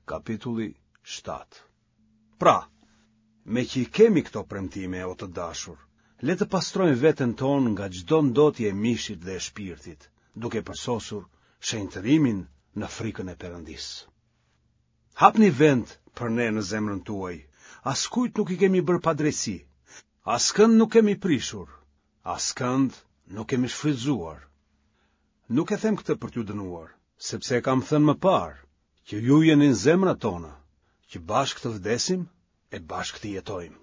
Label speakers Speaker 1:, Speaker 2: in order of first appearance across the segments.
Speaker 1: Kapitulli 7 Pra, meqë i kemi këto premtime, o të dashur, le të pastrojmë veten tonë nga çdo ndotje e mishit dhe e shpirtit, duke përsosur shenjtërimin në frikën e Perëndisë. Hapni vend për ne në zemrën tuaj, askujt nuk i kemi bërë padrejtësi, askënd nuk kemi prishur, askënd nuk kemi shfrytëzuar. Nuk e them këtë për t'ju dënuar, sepse e kam thënë më parë, që ju jeni në zemrat tona, që bashkë të vdesim e bashkë të jetojmë.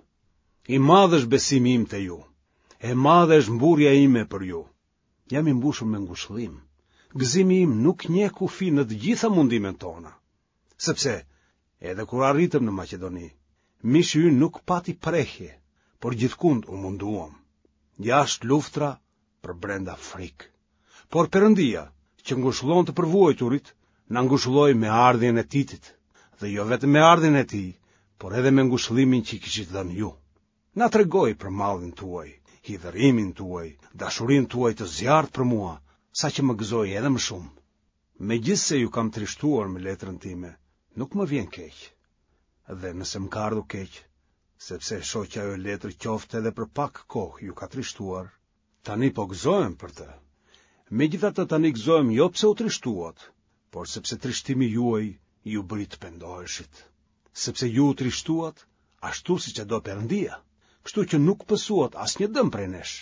Speaker 1: I madh është besimi im te ju, e madhe është mburrja ime për ju. Jam i mbushur me ngushëllim. Gëzimi im nuk njeh kufi në të gjitha mundimet tona. Sepse, edhe kur arritëm në Maqedoni, mishi ynë nuk pati prehje, por gjithkund u munduam. Jashtë luftra, përbrenda frikë. Por Perëndia, që ngushëllon të përvuajturit, na ngushëlloi me ardhjen e Titit, dhe jo vetëm me ardhjen e tij, por edhe me ngushëllimin që i kishit dhënë ju. Na tregoi për mallin tuaj, hidhërimin tuaj, dashurinë tuaj të zjarrtë për mua, saqë më gëzoi edhe më shumë. Megjithëse ju kam trishtuar me letrën time, nuk më vjen keq. Dhe nëse më ka ardhur keq, sepse e shoh që ajo letër qoftë edhe për pak kohë ju ka trishtuar, tani po gëzohem për të. Megjithatë tani gëzohem jo pse u trishtuat, por sepse trishtimi juaj ju bëri të pendoheshit. Sepse ju u trishtuat ashtu siç e do Perëndia, kështu që nuk pësuat asnjë dëm prej nesh.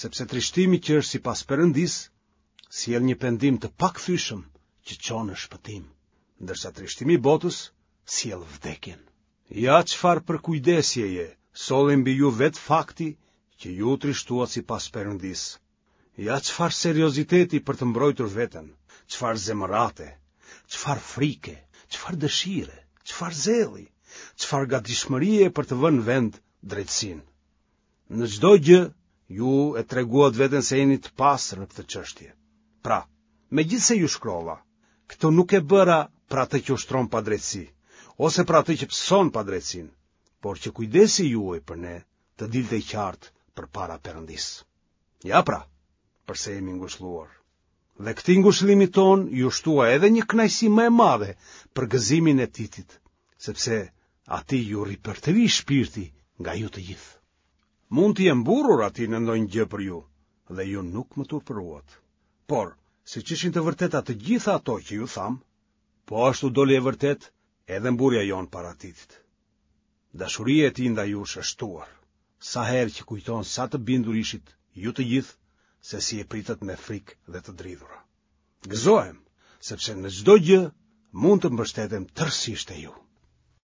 Speaker 1: Sepse trishtimi që është sipas Perëndisë sjell një pendim të pakthyeshëm që çon në shpëtim, ndërsa trishtimi i botës sjell vdekjen. Ja çfarë përkujdesjeje solli mbi ju vetë fakti që ju u trishtuat sipas Perëndisë. Ja çfarë serioziteti për të mbrojtur veten, çfarë zemërate, çfarë frike, çfarë dëshire, çfarë zelli, çfarë gatishmërie për të vënë në vend drejtësinë. Në çdo gjë ju e treguat veten se jeni të pastër në këtë çështje. Pra, megjithëse ju shkrova, këtë nuk e bëra për atë që ushtron padrejtësi, ose për atë që pëson padrejtësinë, por që kujdesi juaj për ne të dilte i qartë përpara Perëndisë. Ja pra, përse jemi ngushëlluar. Dhe këtij ngushëllimi tonë iu shtua edhe një kënaqësi më e madhe për gëzimin e Titit, sepse atij iu ripërtëri shpirti nga ju të gjithë. Mund t'i jem mburrur atij në ndonjë gjë për ju, dhe ju nuk më turpëruat. Por, siç ishin të vërteta të gjitha ato që ju thamë, po ashtu doli e vërtetë edhe mburrja jonë para Titit. Dashuria e tij ndaj jush është shtuar, sa herë që kujton sa të bindur ishit ju të gjithë se si e pritët me frikë dhe të dridhura. Gëzohem, sepse në çdo gjë mund të mbështetem tërësisht te ju.